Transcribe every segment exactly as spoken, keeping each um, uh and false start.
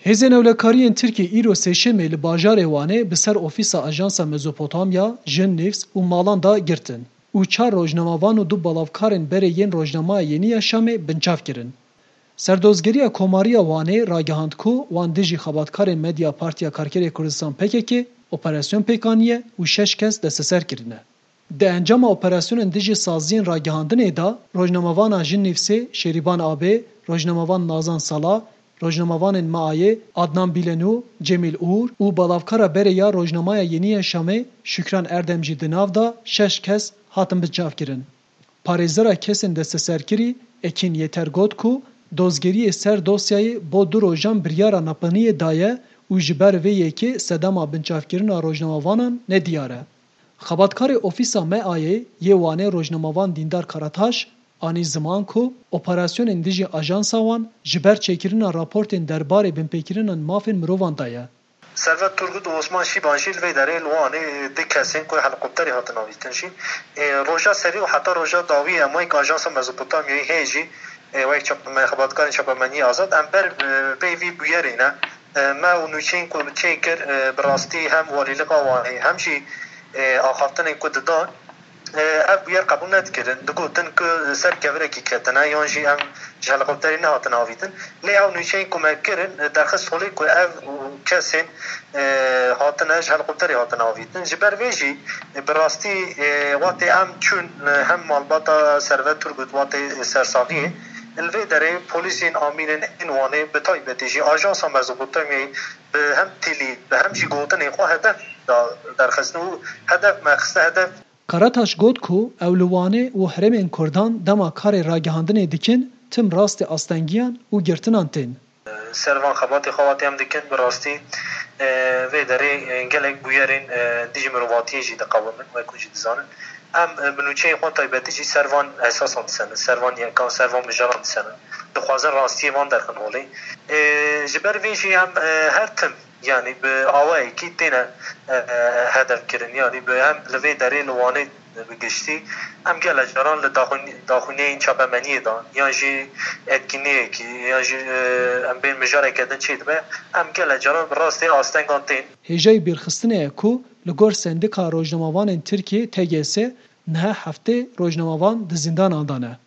Hêzên ewlekariyên Tirkiyê îro sêşemê li bajarê Wanê bi ser ofîsa Ajansa Mezopotamya, Jin News û malan de girtin û çar rojnamevan û du balavkarên berê yên rojnameya Yeniya Şamê binçav kirin. Serdozgeriya Komariya Wanê ragihand ku wan dijî xebatkarên medya Partiya Karkerê Kurdistan P K K operasyon pêk aniye û şeş kes desteser kirine. Di encama operasyonên dijî saziyên ragihandinê de rojnamevana Jin Nîvsê Şêrîban Abê, rojnamevan Nazan Sala, rojnamevanên MAYê Adnan Bîlenû, Cemîl Ûr û balavkara berê ya rojnameya Yeniya Şamê Şükran Erdem jî di nav de şeş kes hatin binçavkirin. Parêzera kesên desteserkirî Ekîn Yeter got ku dozgeriyê ser dosyayê bo du rojan biryara nepeniyê daye û ji ber vê yekê sedema binçavkirina rojnamevanan nediyar e. Xebatkarê Ofîsa MAYê yê Wanê rojnamevan Dîndar Karataş anî ziman ku operasyonên dijî ajansa wan ji ber çêkirina raportên derbarê binpêkirinên mafên mirovan de ye. Servet Turgut û Osman Şîban jî li vê derê li Wanê du kesên ku helikopterê hatin avîtin jî, e, roja serî û heta roja dawî emayek Ajansa Mezopotamyayê heye jî, e, wek çap-, me-, xebatkarên çapemeniyê azad, em ber, e, pey vî bûyerê ne. E, me û nûçeyên ku çê kir, e, bi rastî hem Walîlika Wanê hem jî, e, axaftinên ku didan, e, ev bûyer qebûl nedikirin. Digotin ku ser kevirekî ketine yan jî em ji helikopterê nehatin avîtin. Lê ew nûçeyên ku me kirin, e, derxist holê ku ev kesên, e, hatine ji helikopterê hatine avîtin. Ji ber vê jî, e, bi rastî, e, wextê em çûn, e, hem malbata Servet Turgut, wextê sersaviyê, li vê derê polîsên amînên ên Wanê, bi taybetî jî Ajansa Mezopotamyayê bi hem tîlî, bi hem jî gotinên xwe hedef da derxistin û hedef me xiste hedef. Karataş got ku ew li Wanê û herêmên Kurdan dema karê ragihandinê dikin, tim rastê astengiyan û girtinan tên. Ser van xebatê xwe wate em dikin, bi rastî, e, vê derê, e, gelek bûyerên, e, dijî mirovatiyê jî diqewimin, wek hûn jî dizanin. Em, e, bi nûçeyên xwe taybetî jî ser van esasan disenin, ser van yekan, ser van mijaran disenin. Dixwazin rastiyê van derxin holê. E, ji ber vê jî em, e, her tim, yanî bi awayekî têne, e, e, hedef kirin, yanî bi hem li vê derê li Wanê bi giştî, em gelek caran li daxwin-, daxwîniyên çapemeniyê de, yan jî etkinliyekî, yan jî, e, em bên mijareke din çêdibe, em gelek caran bi rastî astengan tên. Hêjayî bîrxistinê ye ku li gor Sendika Rojnamevanên Tirkiyê, T G S, niha heftê rojnamevan di zîndanan de ne.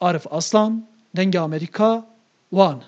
Arif Aslan, Dengê Amerîka, Wan.